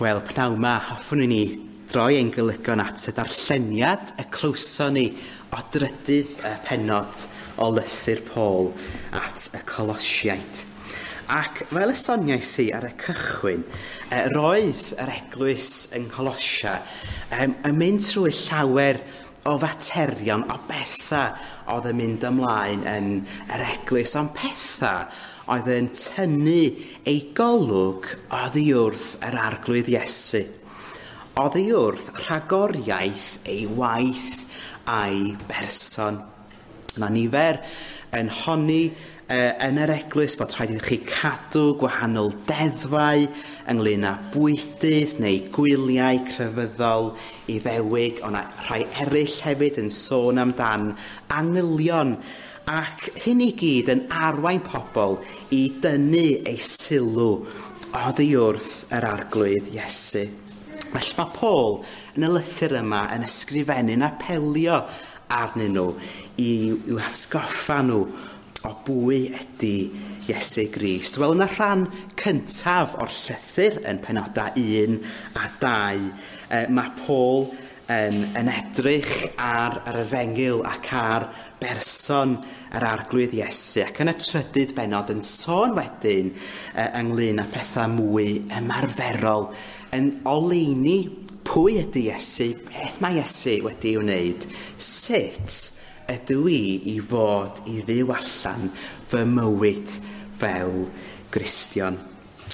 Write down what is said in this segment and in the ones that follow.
Wel, pnawn 'ma, hoffwn i ni droi ein golygon at y darlleniad y clywson ni o drydydd y pennod o lythyr Paul at y Colosiaid. Ac fel y soniais i ar y cychwyn, roedd yr eglwys yng Ngholosia yn mynd trwy llawer o faterion, o bethau oedd yn mynd ymlaen yn yr eglwys, ond pethau oedd yn tynnu ei golwg oddi wrth yr Arglwydd Iesu, oddi wrth rhagoriaeth ei waith a'i berson. Mae nifer yn honni yn yr eglwys bod rhaid i chi cadw gwahanol deddfau ynglyn â bwydydd neu gwyliau crefyddol Iddewig, ond rhai eraill hefyd yn sôn amdan angylion, ac hyn i gyd yn arwain pobl i dynnu eu sylw oddi wrth yr Arglwydd Iesu. Felly mae Paul yn y lythyr yma yn ysgrifennu'n apelio arnyn nhw i'w hatgoffa nhw o bwy ydy Iesu Grist. Wel, yn y rhan cyntaf o'r llythyr yn penodau 1 a 2, mae Paul yn edrych ar yr efengyl ac ar berson yr Arglwydd Iesu, ac yn y trydydd bennod yn sôn wedyn ynglyn â pethau mwy ymarferol, yn oleuni pwy ydy Iesu, beth mae Iesu wedi ei wneud, sut ydw i i fod i fyw allan fy mywyd fel Gristion.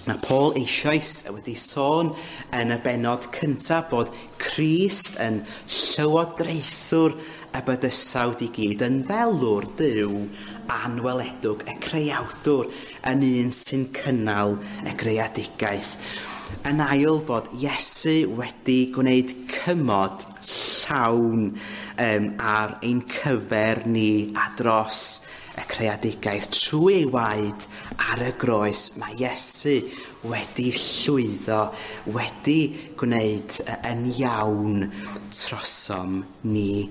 Mae Paul eisoes wedi sôn yn y bennod cyntaf bod Crist yn llywodraethwr y bydysawd i gyd, yn ddelwr Duw anweledwg, y creawdwr, yn un sy'n cynnal y greadigaeth. Yn ail, bod Iesu wedi gwneud cymod llawn ar ein cyfer ni a dros y creadigaeth. Trwy ei waed ar y groes, mae Iesu wedi llwyddo, wedi gwneud yn iawn trosom ni.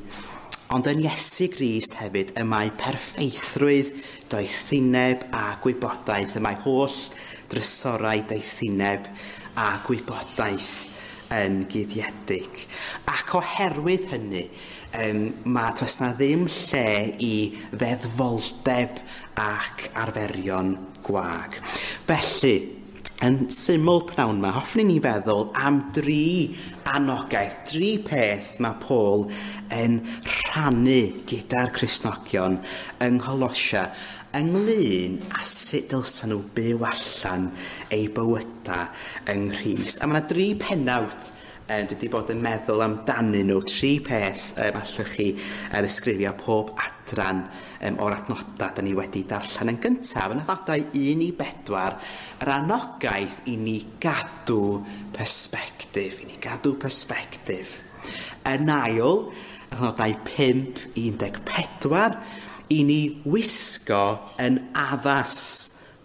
Ond yn Iesu Grist hefyd y mae perffeithrwydd, doethineb a gwybodaeth, y mae holl drysorau doethineb a gwybodaeth yn guddiedig. Ac oherwydd hynny, mae does na ddim lle i ddeddfoldeb ac arferion gwag. Felly, yn syml pnawn yma, hoffwn i ni feddwl am dri anogaeth, dri peth mae Paul yn rhannu gyda'r Cristnogion yng Ngholosia ynglyn â sut dylsen nhw byw allan eu bywydau yng Nghrist. A mae yna dri pennawd dwi wedi bod yn meddwl amdanyn nhw, tri peth allwch chi ddisgrifio pob adran o'r adnodau da ni wedi darllen. Yn gyntaf, yn adnodau 1 i 4, yr anogaeth i ni gadw persbectif, i ni gadw persbectif. Yn ail, adnodau 5 i 14, i ni wisgo yn addas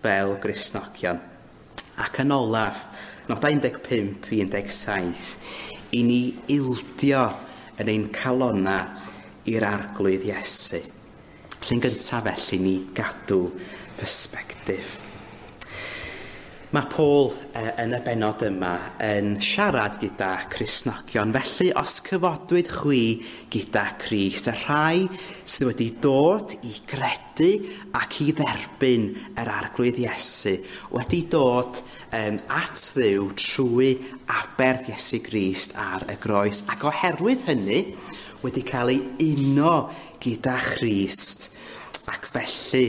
fel Gristnogion. Ac yn olaf, nodau 15 i 17, i ni ildio yn ein calonna i'r Arglwydd Iesu. Felly'n gyntaf felly, ni gadw persbectif. Mae Paul yn y bennod yma yn siarad gyda Cristnogion. Felly, os cyfodwyd chwi gyda Crist, y rhai sydd wedi dod i gredu ac i dderbyn yr Arglwydd Iesu, wedi dod at Dduw trwy aberth Iesu Grist ar y groes, ac oherwydd hynny wedi cael ei uno gyda Christ, ac felly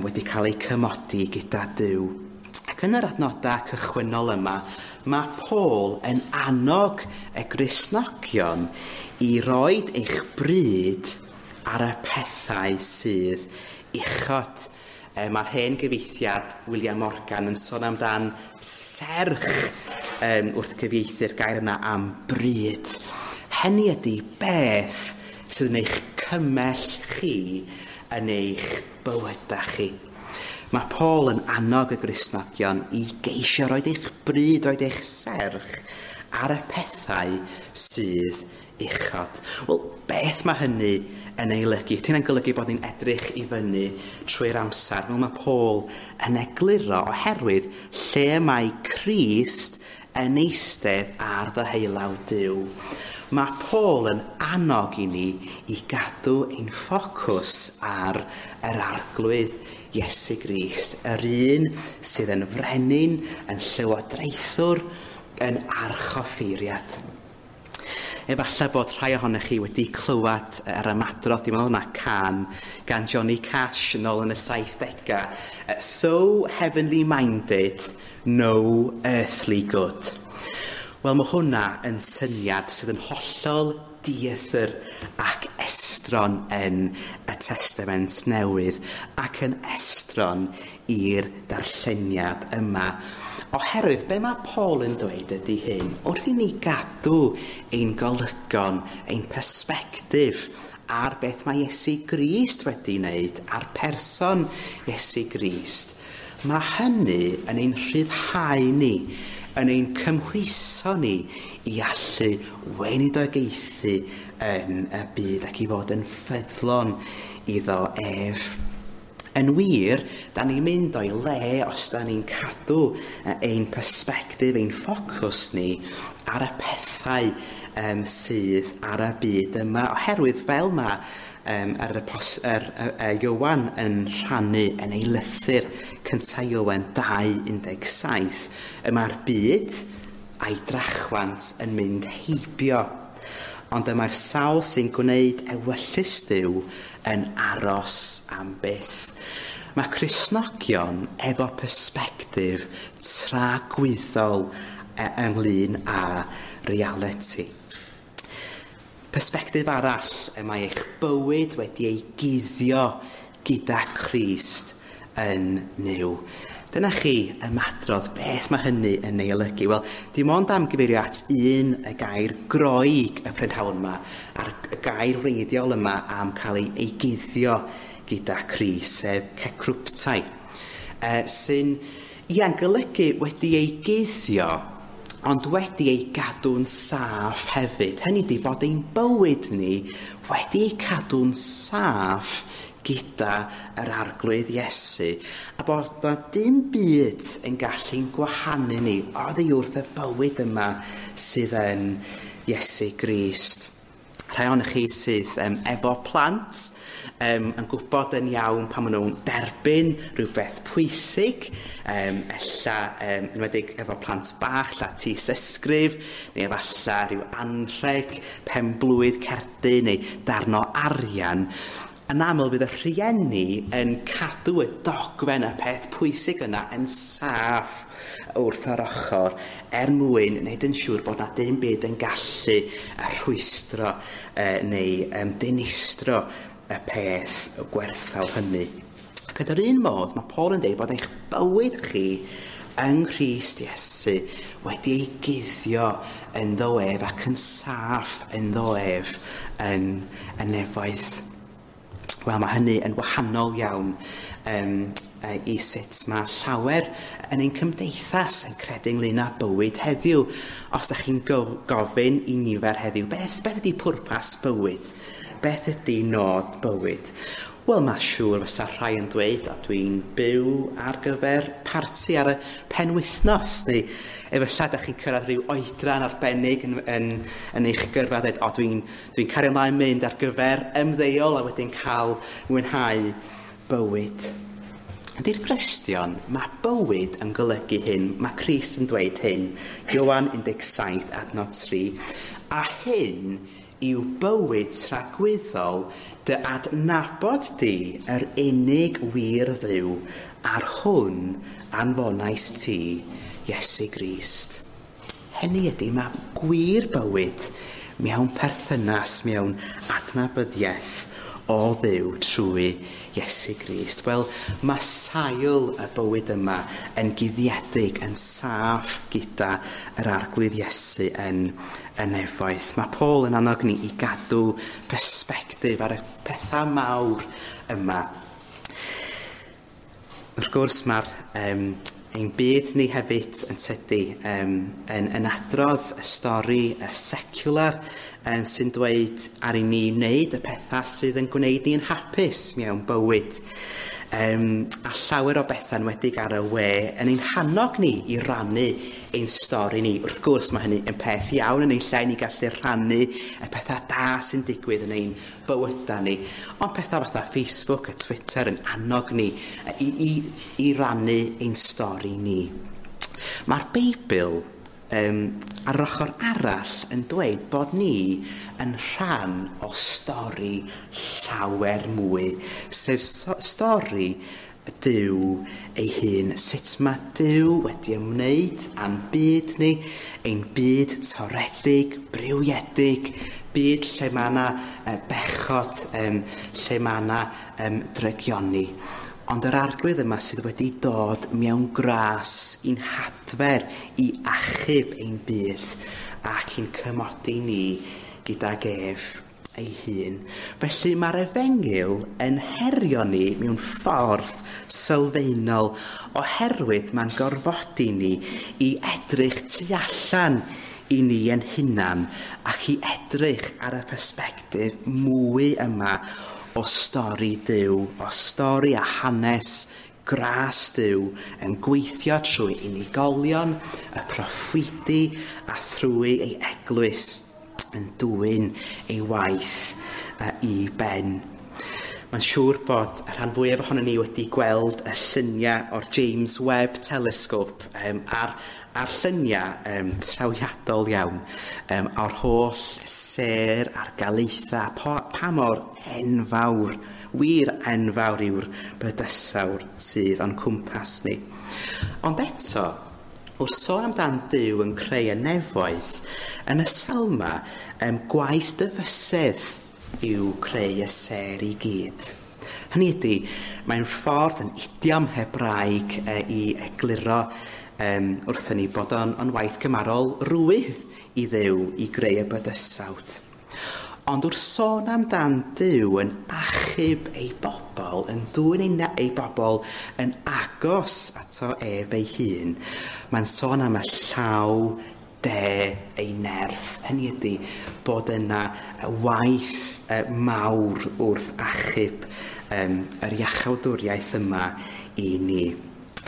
wedi cael ei cymodi gyda Duw. Ac yn yr adnodau cychwynnol yma, mae Paul yn annog y Gristnogion i roid eich bryd ar y pethau sydd uchod. Mae'r hen gyfieithiad William Morgan yn sôn amdan serch wrth gyfieithu'r gair yna am bryd. Hynny ydy beth sydd yn eich cymell chi yn eich bywydau chi. Mae Paul yn annog y Gristnogion i geisio roed eich bryd, roed eich serch ar y pethau sydd uchod. Wel, beth mae hynny yn ei olygu? Ydy hynna'n golygu bod ni'n edrych i fyny trwy'r amser? Wel, mae Paul yn egluro oherwydd lle mae Crist yn eistedd ar ddeheulaw Duw. Mae Paul yn annog i ni i gadw ein ffocws ar yr Arglwydd Iesu Grist, yr un sydd yn frenin, yn llywodraethwr, yn archoffeiriad. Efallai bod rhai ohonych chi wedi clywed yr ymadrodd, dwi'n meddwl na cân gan Johnny Cash yn ôl yn y 70au. "So heavenly minded, no earthly good." Wel, mae hwnna yn syniad sydd yn hollol dieithr ac estron yn y Testament Newydd ac yn estron i'r darlleniad yma. Oherwydd be mae Paul yn dweud ydy hyn, wrth i ni gadw ein golygon, ein persbectif ar beth mae Iesu Grist wedi wneud, ar person Iesu Grist, mae hynny yn ein rhyddhau ni, yn ein cymhwyso ni i allu weinidogaethu yn y byd ac i fod yn ffyddlon iddo ef. Yn wir, da ni'n mynd o'i le os da ni'n cadw ein persbectif, ein ffocws ni ar y pethau sydd ar y byd yma. Oherwydd fel mae Iowan yn rhannu yn ei lythyr cyntaf Iowan 2.17, y mae'r byd a'i drachwant yn mynd heibio. Ond y mae'r sawl sy'n gwneud ewyllys Duw yn aros am byth. Mae Cristnogion efo persbectif tragwyddol ynglyn â reality. Persbectif arall, y mae eich bywyd wedi ei guddio gyda Christ yn Nuw. Dyna chi ymadrodd, beth mae hynny yn ei olygu? Wel, dim ond am gyfeirio at un y gair Groeg y prynhawn yma, a'r gair wreiddiol yma am cael ei guddio gyda Crist, sef kekruptai, sy'n ia'n golygu wedi ei guddio, ond wedi ei gadw'n saff hefyd. Hynny ydy bod ein bywyd ni wedi ei cadw'n saff gyda yr Arglwydd Iesu, a bod na dim byd yn gallu'n gwahanu ni oddi wrth y bywyd yma sydd yn Iesu Grist. Rhai ohonych chi sydd efo plant yn gwybod yn iawn pan maen nhw'n derbyn rhywbeth pwysig, ella enwedig efo plant bach, ella tystysgrif, neu efallai rhyw anrheg, penblwydd, cerdyn neu darn o arian. Yn aml bydd y rhieni yn cadw y dogfen, y peth pwysig yna yn saff wrth yr ochr er mwyn wneud yn siŵr bod na dim byd yn gallu rhwystro neu dinistro y peth gwerthfawr hynny. Ac yn yr un modd, mae Paul yn dweud bod eich bywyd chi yng Nghrist Iesu wedi ei guddio ynddo ef ac yn saff ynddo ef yn y nefoedd. Wel, mae hynny yn wahanol iawn i sut mae llawer yn ein cymdeithas yn credu ynglyn â bywyd heddiw. Os ydych chi'n gofyn i nifer heddiw, beth ydy pwrpas bywyd? Beth ydy nod bywyd? Wel, mae siŵr fysa rhai yn dweud, o, dwi'n byw ar gyfer parti ar y penwythnos, neu efallai ydych chi'n cyrraedd rhyw oedran arbennig yn eich gyrfa, dweud, o, dwi'n cario ymlaen mynd ar gyfer ymddeol a wedyn cael mwynhau bywyd. Ydy'r Cristion, mae bywyd yn golygu hyn, mae Crist yn dweud hyn, Ioan 17 adnod 3, a hyn yw bywyd tragwyddol dy adnabod di yr unig wir Dduw a'r hwn anfonais ti, Iesu Grist. Hynny ydy, mae gwir bywyd mewn perthynas, mewn adnabyddiaeth o Dduw trwy Iesu Grist. Wel, mae sail y bywyd yma yn guddiedig, yn saff gyda yr Arglwydd Iesu yn y nefoedd. Mae Paul yn annog ni i gadw persbectif ar y pethau mawr yma. Wrth gwrs, mae'r ein byd ni hefyd yn tydi yn adrodd y stori y secular sy'n dweud ar i ni wneud y pethau sydd yn gwneud ni'n hapus mewn bywyd. A llawer o bethau enwedig ar y we yn ein hannog ni i rannu ein stori ni. Wrth gwrs, mae hynny yn peth iawn yn ein lle ni gallu rhannu y pethau da sy'n digwydd yn ein bywydau ni. Ond pethau fatha Facebook a Twitter yn annog ni i rannu ein stori ni. Mae'r Beibl ar yr ochr arall yn dweud bod ni yn rhan o stori llawer mwy, sef stori Duw ei hun. Sut mae Duw wedi ymwneud â'n byd ni, ein byd toredig, briwiedig, byd lle mae yna bechod, lle mae yna drygioni. Ond yr Arglwydd yma sydd wedi dod mewn gras i'n hadfer, i achub ein byd ac i'n cymodi ni gydag ef ei hun. Felly mae'r efengyl yn herio ni mewn ffordd sylfaenol oherwydd mae'n gorfodi ni i edrych tu allan i ni yn hunan ac i edrych ar y persbectif mwy yma o stori Duw, o stori a hanes gras Duw yn gweithio trwy unigolion, y proffwydi a thrwy ei eglwys yn dwyn ei waith i ben. Mae'n siŵr bod y rhan fwyaf ohonon ni wedi gweld y lluniau o'r James Webb Telescope a'r lluniau trawiadol iawn o'r holl sêr a'r galaethau, pa mor enfawr, wir enfawr yw'r bydysawr sydd o'n cwmpas ni. Ond eto, wrth sôn amdan Duw yn creu y nefoedd, yn y Salma, gwaith dyfysedd yw creu y sêr i gyd. Hynny ydy, mae'n ffordd yn idiom Hebraeg i egluro wrthyn ni bod o'n waith cymarol rwydd i Dduw i greu y bydysawd. Ond wrth sôn amdan Duw yn achub ei bobl, yn dwyn ei bobl yn agos ato ef ei hun, mae'n sôn am y llaw de ei nerth. Hynny ydy bod yna waith mawr wrth achub yr iachawdwriaeth yma i ni.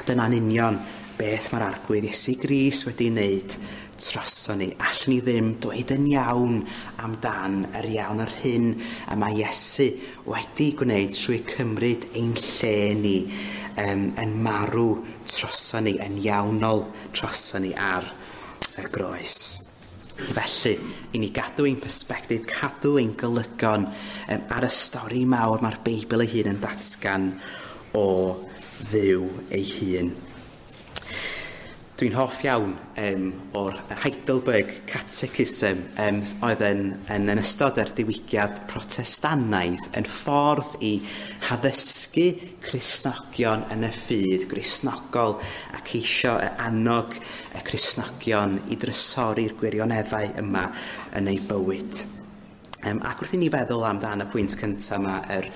Dyna'n union beth mae'r Arglwydd Iesu Grist wedi wneud droson ni. Allwn ni ddim dweud yn iawn amdan yr iawn yr hyn y mae Iesu wedi gwneud trwy cymryd ein lle ni, yn marw droson ni, yn iawnol droson ni ar y groes. Felly, i ni gadw ein persbectif, cadw ein golygon ar y stori mawr mae'r Beibl ei hun yn datgan o Dduw ei hun. Dwi'n hoff iawn o'r Heidelberg Catechism oedd yn ystod yr diwygiad Protestannaidd yn ffordd i haddysgu Cristnogion yn y ffydd Gristnogol a ceisio annog y Cristnogion i drysori'r gwirioneddau yma yn eu bywyd. Ac wrth i ni feddwl amdan y pwynt cyntaf yma, yr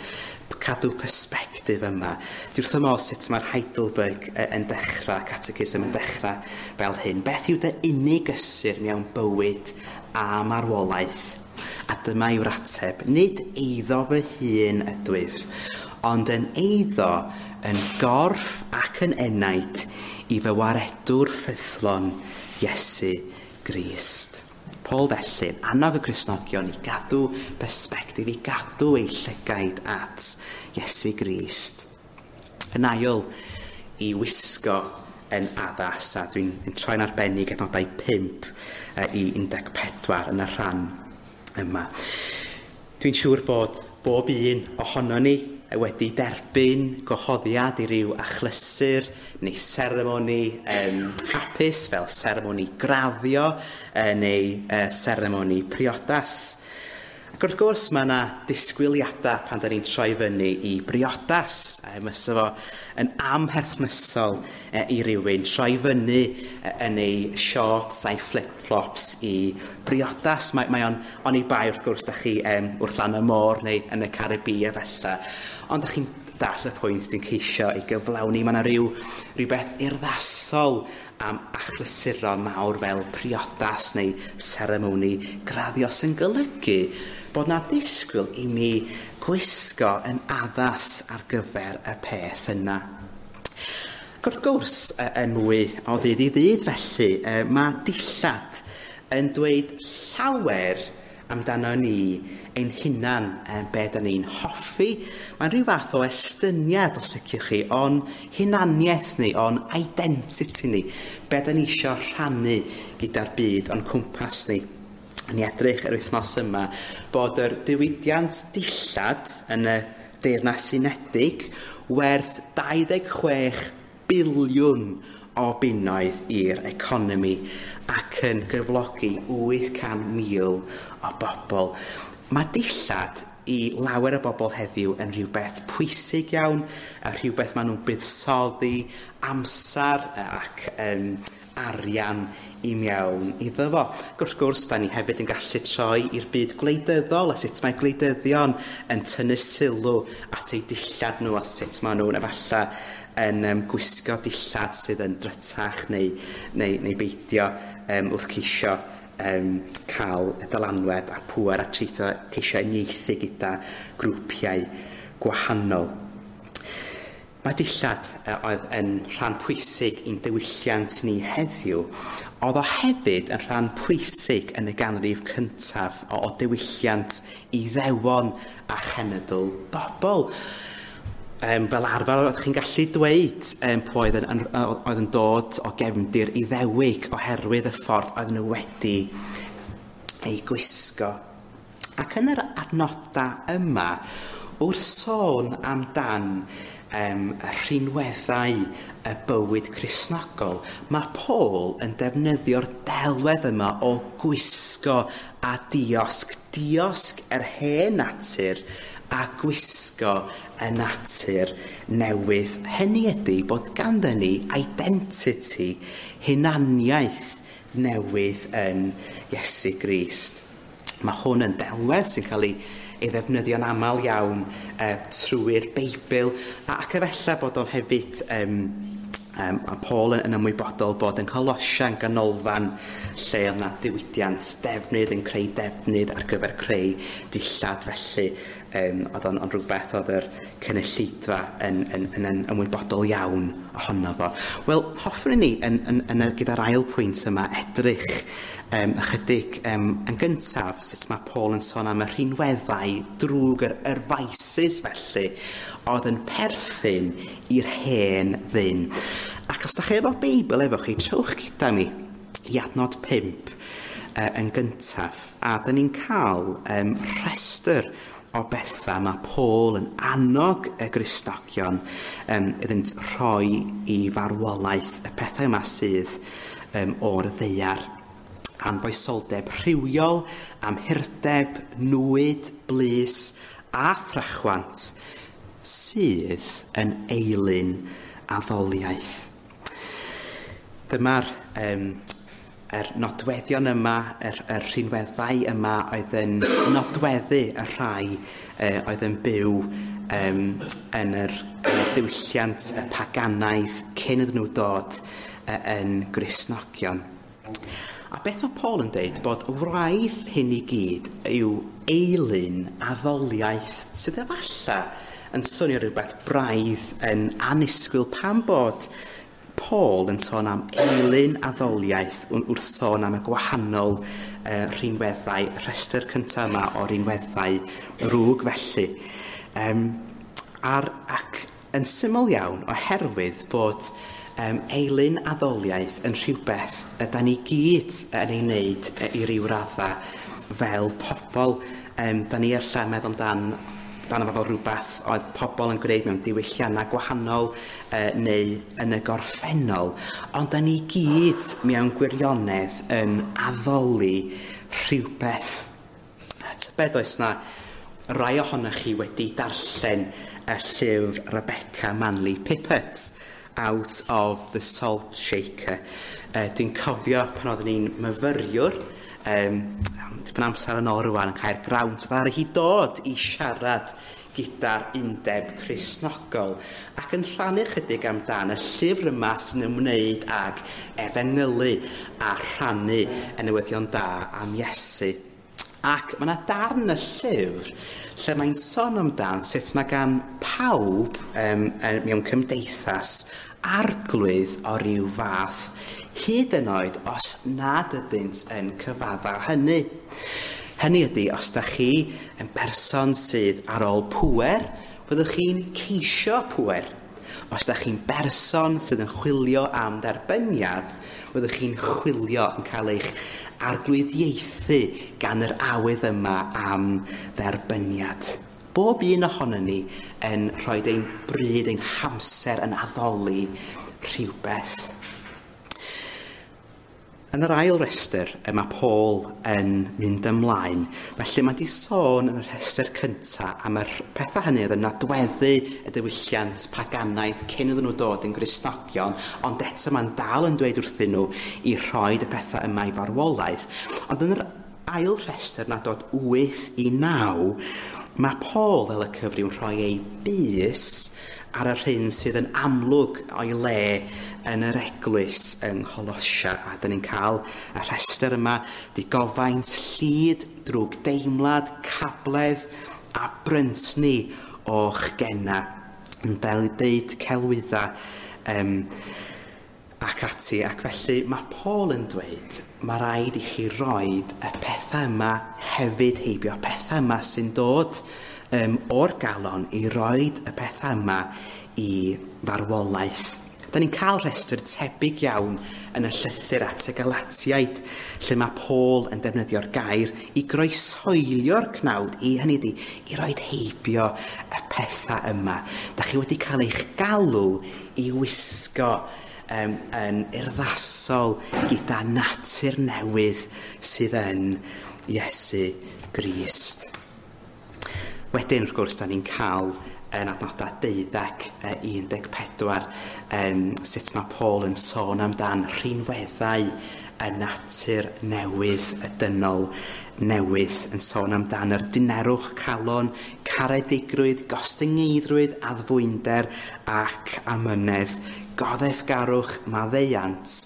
cadw persbectif yma, dwi wrth fy modd sut mae'r Heidelberg yn dechrau, Catechism yn dechrau fel hyn. Beth yw dy unig gysur mewn bywyd a marwolaeth? A dyma yw'r ateb. Nid eiddo fy hun ydwyf, ond yn eiddo yn gorff ac yn enaid i fy waredwr ffyddlon Iesu Grist. Paul felly, annog y Cristnogion i gadw persbectif, i gadw eu llygaid at Iesu Grist. Yn ail, i wisgo yn addas, a dwi'n troi'n arbennig adnodau 5 i 14 yn y rhan yma. Dwi'n siŵr bod bob un ohono ni wedi derbyn gwahoddiad i ryw achlysur neu seremoni hapus fel seremoni graddio neu seremoni priodas. Ac wrth gwrs mae yna disgwyliadau pan da ni'n troi fyny i briodas. Fysa fo yn amherthnasol i rywun troi fyny yn ei shorts a'i flip-flops i briodas. Mae o'n oni bai wrth gwrs da chi wrth lan y môr neu yn y Caribî a felly. Ond da chi'n dall y pwynt dwi'n ceisio ei gyflawni. Mae yna rhywbeth urddasol am achlysuron mawr fel priodas neu seremoni graddio sy'n golygu bod na ddisgwyl i mi gwisgo yn addas ar gyfer y peth yna. Ac wrth gwrs, yn mwy o ddydd i ddydd felly, mae dillad yn dweud llawer amdano ni ein hunan, be da ni'n hoffi. Mae'n rhyw fath o estyniad, os liciwch chi, o'n hunaniaeth ni, o'n identity ni, be da ni isio rhannu gyda'r byd o'n cwmpas ni. Ni edrych yr wythnos yma bod yr diwydiant dillad yn y Deyrnas Unedig werth 26 biliwn o bunnoedd i'r economi ac yn gyflogi 800,000 o bobl. Mae dillad i lawer o bobl heddiw yn rhywbeth pwysig iawn, a rhywbeth maen nhw'n buddsoddi amser ac arian i mewn iddo fo. Ac wrth gwrs, da ni hefyd yn gallu troi i'r byd gwleidyddol a sut mae gwleidyddion yn tynnu sylw at eu dillad nhw a sut maen nhw'n efallai yn gwisgo dillad sydd yn drytach neu beidio wrth ceisio cael y dylanwad a pŵer a treithio ceisio uniaethu gyda grwpiau gwahanol. Mae dillad oedd yn rhan pwysig i'n diwylliant ni heddiw, oedd o hefyd yn rhan pwysig yn y ganrif cyntaf o diwylliant Iddewon a chenedl bobl. Fel arfer oeddech chi'n gallu dweud pwy oedd yn dod o gefndir Iddewig oherwydd y ffordd oedd nhw wedi ei gwisgo. Ac yn yr adnodau yma, wrth sôn amdan y rhinweddau y bywyd Cristnogol, mae Paul yn defnyddio'r delwedd yma o gwisgo a diosg. Diosg yr hen natur a gwisgo y natur newydd. Hynny ydy bod ganddyn ni identity, hunaniaeth newydd yn Iesu Grist. Mae hwn yn delwedd sy'n cael ei ddefnyddio'n aml iawn trwy'r Beibl, ac efallai bod o'n hefyd a Paul yn ymwybodol bod yn Colosia yn ganolfan lle oedd 'na diwydiant defnydd yn creu defnydd ar gyfer creu dillad, felly oedd o'n rhywbeth oedd yr cynulleidfa yn ymwybodol iawn ohono fo. Wel, hoffwn i ni gyda'r ail pwynt yma edrych ychydig yn gyntaf sut mae Paul yn sôn am y rhinweddau drwg, yr vices felly, oedd yn perthyn i'r hen ddyn. Ac os da chi efo Beibl efo chi, trowch gyda mi i adnod 5 yn gyntaf. A da ni'n cael rhestr o bethau mae Paul yn annog y Gristnogion iddynt rhoi i farwolaeth, y pethau yma sydd o'r ddaear. Anfoesoldeb rhywiol, amhurdeb, nwyd, blys a thrachwant sydd yn eilun addoliaeth. Dyma'r yr nodweddion yma, yr rhinweddau yma oedd yn nodweddu y rhai oedd yn byw yn yr diwylliant y paganaidd cyn iddyn nhw dod yn Gristnogion. A beth mae Paul yn deud bod wraidd hyn i gyd yw eilun addoliaeth sydd efallai yn swnio rhywbeth braidd yn annisgwyl pan bod Paul yn sôn am eilun addoliaeth wrth sôn am y gwahanol rhinweddau, rhestr cyntaf yma o rinweddau rwg felly. Ac yn syml iawn oherwydd bod eilun addoliaeth yn rhywbeth yda ni gyd yn ei wneud i ryw raddau fel pobl. Da ni ella meddwl amdano fel rhywbeth oedd pobl yn gwneud mewn diwylliannau gwahanol neu yn y gorffennol, ond da ni gyd mewn gwirionedd yn addoli rhywbeth. Tybed oes na rai ohonoch chi wedi darllen y llyfr Rebecca Manley Pippert, Out of the Salt Shaker. Dwi'n cofio pan oeddwn i'n myfyriwr, tipyn amser yn ôl rwan yn Caergrawnt, ddaru hi dod i siarad gyda'r Undeb Cristnogol ac yn rhannu chydig amdan y llyfr yma sy'n ymwneud ag efengylu a rhannu y newyddion da am Iesu. Ac mae yna darn y llyfr lle mae'n sôn amdan sut mae gan pawb mewn cymdeithas arglwydd o ryw fath, hyd yn oed os nad ydynt yn cyfadda hynny. Hynny ydy, os da chi yn berson sydd ar ôl pŵer, byddwch chi'n ceisio pŵer. Os da chi'n berson sydd yn chwilio am dderbyniad, byddwch chi'n chwilio yn cael eich arglwyddiaethu gan yr awydd yma am dderbyniad. Bob un ohonon ni yn rhoi ein bryd, ein hamser yn addoli rhywbeth. Yn yr ail restr y mae Paul yn mynd ymlaen. Felly mae di sôn yn y rhestr cyntaf am y pethau hynny oedd yn nodweddu y diwylliant paganaidd cyn iddyn nhw dod yn Gristnogion, ond eto mae'n dal yn dweud wrthyn nhw i rhoi y pethau yma i farwolaeth. Ond yn yr ail rhestr na dod 8 i 9, mae Paul fel y cyfryw yn rhoi ei bys ar yr hyn sydd yn amlwg o'i le yn yr eglwys yng Ngholosia. A dyn ni'n cael y rhestr yma, digofaint, llid, drwg deimlad, cabledd a bryntni o'ch gena. Yn deud celwydda ac ati. Ac felly mae Paul yn dweud, mae rhaid i chi roed y pethau yma hefyd heibio, pethau yma sy'n dod o'r galon i roed y pethau yma i farwolaeth. Da ni'n cael rhestr tebyg iawn yn y llythyr at y Galatiaid, lle mae Paul yn defnyddio'r gair i groeshoelio'r cnawd, i hynny ydi, i roed heibio y pethau yma. Da chi wedi cael eich galw i wisgo yn urddasol gyda natur newydd sydd yn Iesu Grist. Wedyn, wrth gwrs, da ni'n cael yn adnodau 12, 14, sut mae Paul yn sôn amdan rhinweddau y natur newydd, y dynol newydd, yn sôn amdan yr dinerwch calon, caredigrwydd, gostyngeiddrwydd, addfwynder ac amynedd, goddefgarwch, maddeuant,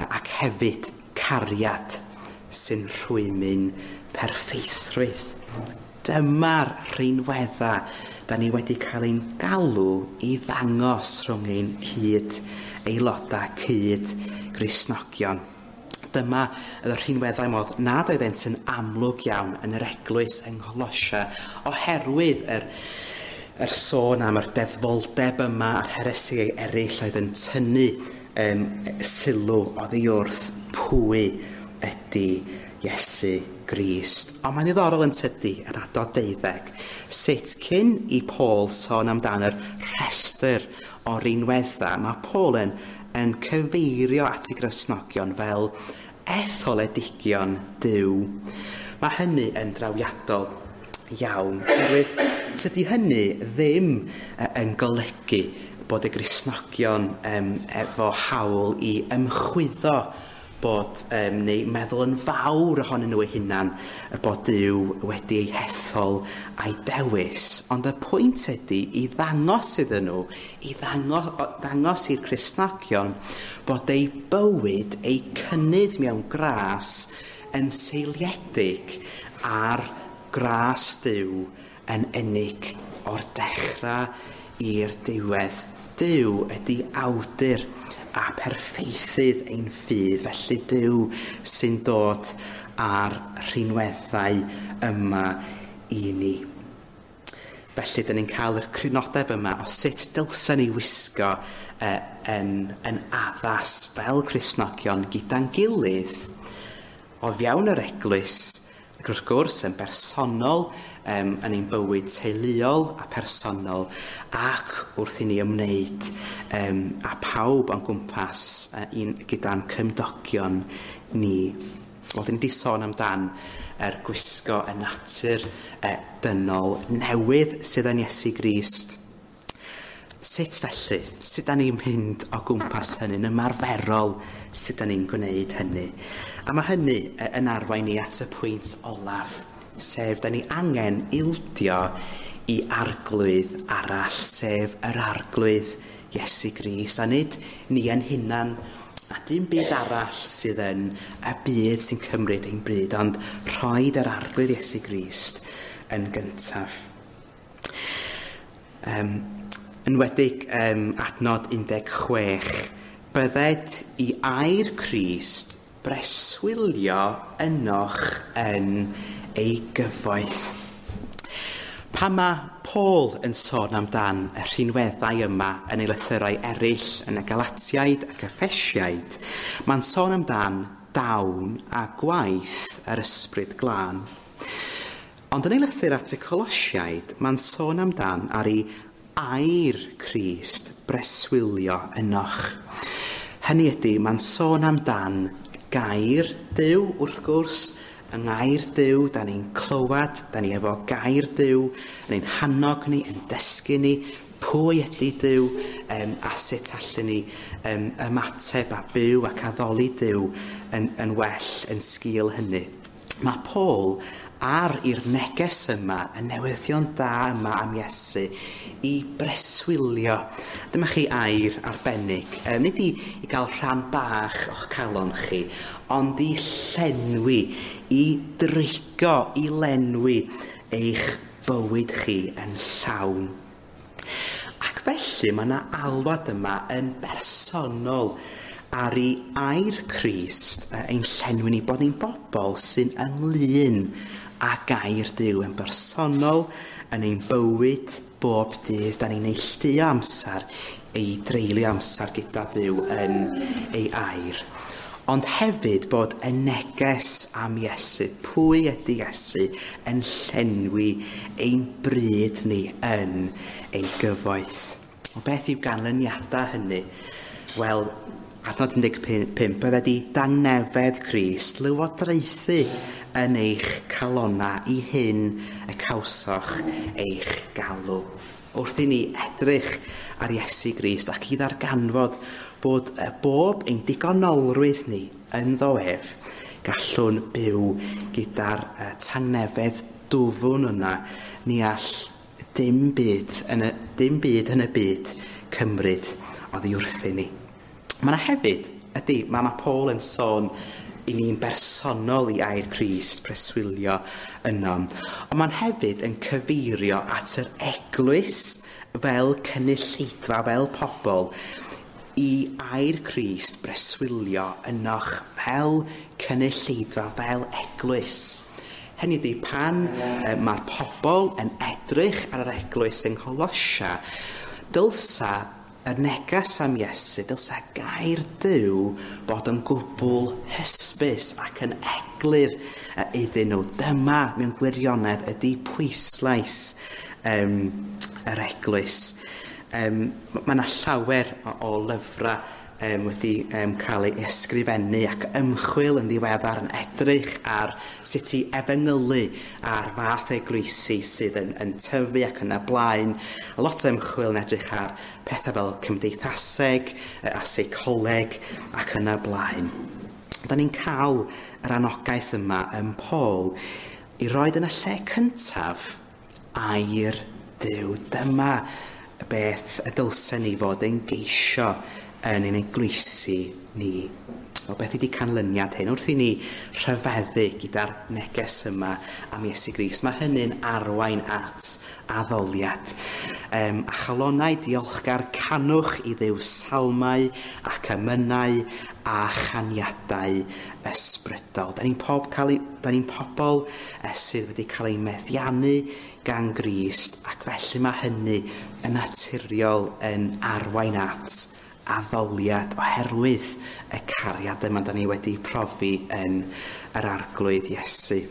ac hefyd cariad sy'n rhwymyn perffeithrwydd. Dyma'r rhinweddau da ni wedi cael ein galw i ddangos rhwng ein cyd aelodau, cyd Gristnogion. Dyma y rhinweddau modd nad oeddent yn amlwg iawn yn yr eglwys yng Ngholosia oherwydd yr sôn am yr deddfoldeb yma a'r heresiau eraill oedd yn tynnu sylw oddi wrth pwy ydy Iesu Grist. Ond mae'n ddiddorol yn tydi, yr adnod 12, sut cyn i Paul sôn amdan yr rhestr o rinweddau, mae Paul yn cyfeirio at y Gristnogion fel etholedigion Duw. Mae hynny yn drawiadol iawn, oherwydd tydi hynny ddim yn golygu bod y Gristnogion efo hawl i ymchwyddo bod neu meddwl yn fawr ohonyn nhw eu hunan y bod Duw wedi ei hethol a'i dewis. Ond y pwynt ydy i ddangos iddyn nhw, i ddangos i'r Cristnogion bod eu bywyd, eu cynnydd mewn gras yn seiliedig ar gras Duw yn unig o'r dechrau i'r diwedd. Duw ydy awdur a perffeithydd ein ffydd, felly Duw sy'n dod â'r rhinweddau yma i ni. Felly, dyn ni'n cael yr crynodeb yma o sut dylsen ni wisgo yn addas fel Cristnogion gyda'n gilydd o fewn yr eglwys, ac wrth gwrs yn bersonol, yn ein bywyd teuluol a personol, ac wrth i ni ymwneud â pawb o'n gwmpas gyda'n cymdogion ni. Wel, dyn ni wedi sôn amdan yr gwisgo y natur dynol newydd sydd yn Iesu Grist. Sut felly? Sut da ni'n mynd o gwmpas hynny'n ymarferol? Sut da ni'n gwneud hynny? A mae hynny yn arwain ni at y pwynt olaf, sef da ni angen ildio i arglwydd arall, sef yr arglwydd Iesu Grist. A nid ni yn hunan, a dim byd arall sydd yn y byd sy'n cymryd ein bryd, ond rhoid yr Arglwydd Iesu Grist yn gyntaf. Enwedig adnod 16, bydded i air Crist breswylio ynoch yn ei gyfoeth. Pan mae Paul yn sôn amdan y rhinweddau yma yn ei lythyrau eraill yn y Galatiaid ac Effesiaid, mae'n sôn amdan dawn a gwaith yr Ysbryd Glân. Ond yn ei lythyr at y Colosiaid, mae'n sôn amdan ar ei air Crist breswylio ynoch. Hynny ydy, mae'n sôn amdan gair Duw, wrth gwrs, yng ngair Duw, da ni'n clywed, da ni efo gair Duw, yn ein hannog ni, yn dysgu ni pwy ydy Duw, a sut allwn ni ymateb a byw ac addoli Duw yn well yn sgil hynny. Mae Paul ar i'r neges yma, y newyddion da yma am Iesu, i breswylio. Dyma chi air arbennig, nid i gael rhan bach o'ch calon chi, ond i llenwi, i drigo, i lenwi eich bywyd chi yn llawn. Ac felly mae yna alwad yma yn bersonol ar ei air Crist ein llenwi ni, bod ni'n bobl sy'n ynglyn â gair Duw yn bersonol yn ein bywyd bob dydd. Da ni'n neilltuo amser i dreulio amser gyda Duw yn ei air. Ond hefyd bod y neges am Iesu, pwy ydy Iesu, yn llenwi ein bryd ni yn ei gyfoeth. O beth yw ganlyniadau hynny? Wel, adnod 15, bydded i dangnefedd Crist lywodraethu yn eich calona i hyn y cawsoch eich galw. Wrth i ni edrych ar Iesu Grist ac i ddarganfod bod bob ein digonolrwydd ni ynddo ef, gallwn byw gyda'r tangnefedd dwfwn yna. Ni all dim byd yn y byd cymryd oddi wrthyn ni. Mae yna hefyd, ydy, mae Paul yn sôn i ni'n bersonol i air Crist preswylio yno. Ond mae'n hefyd yn cyfeirio at yr eglwys fel cynulleidfa, fel pobl, i air Crist breswylio ynoch fel cynulleidfa, fel eglwys. Hynny ydy, pan mae'r pobl yn edrych ar yr eglwys yng Ngholosia, dylsa y neges am Iesu, dylsa gair Duw bod yn gwbl hysbys ac yn eglur iddyn nhw. Dyma mewn gwirionedd ydy pwyslais yr eglwys. Mae yna llawer o lyfrau wedi cael ei ysgrifennu ac ymchwil yn ddiweddar yn edrych ar sut i efengylu ar fath eglwysi sydd yn tyfu ac yn y blaen. A lot o ymchwil yn edrych ar pethau fel cymdeithaseg a seicoleg ac yn y blaen. Da ni'n cael yr anogaeth yma yn Paul i roed yn y lle cyntaf air Duw. Dyma beth y dylsen ni fod yn geisio yn ein eglwysi ni. O beth ydy canlyniad hyn? Wrth i ni rhyfeddu gyda'r neges yma am Iesu Grist, mae hynny'n arwain at addoliad. A chalonau diolchgar canwch i Dduw salmau ac emynau a chaniadau ysbrydol. Da ni'n pobl sydd wedi cael ei meddiannu gan Grist, ac felly mae hynny yn naturiol yn arwain at addoliad oherwydd y cariad yma da ni wedi profi yn yr Arglwydd Iesu.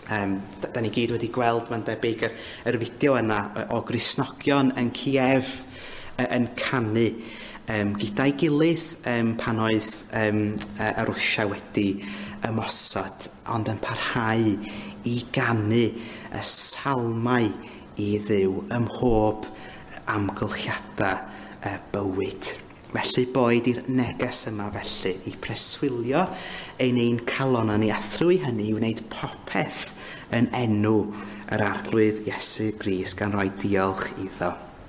Da ni gyd wedi gweld, mae'n debyg, yr fideo yna o Gristnogion yn Kiev yn canu gyda'i gilydd pan oedd y Rwsia wedi ymosod, ond yn parhau i ganu y salmau i Dduw ym mhob amgylchiadau bywyd. Felly boed i'r neges yma felly i preswylio ein calon ni a thrwy hynny i wneud popeth yn enw yr Arglwydd Iesu Grist gan roi diolch iddo.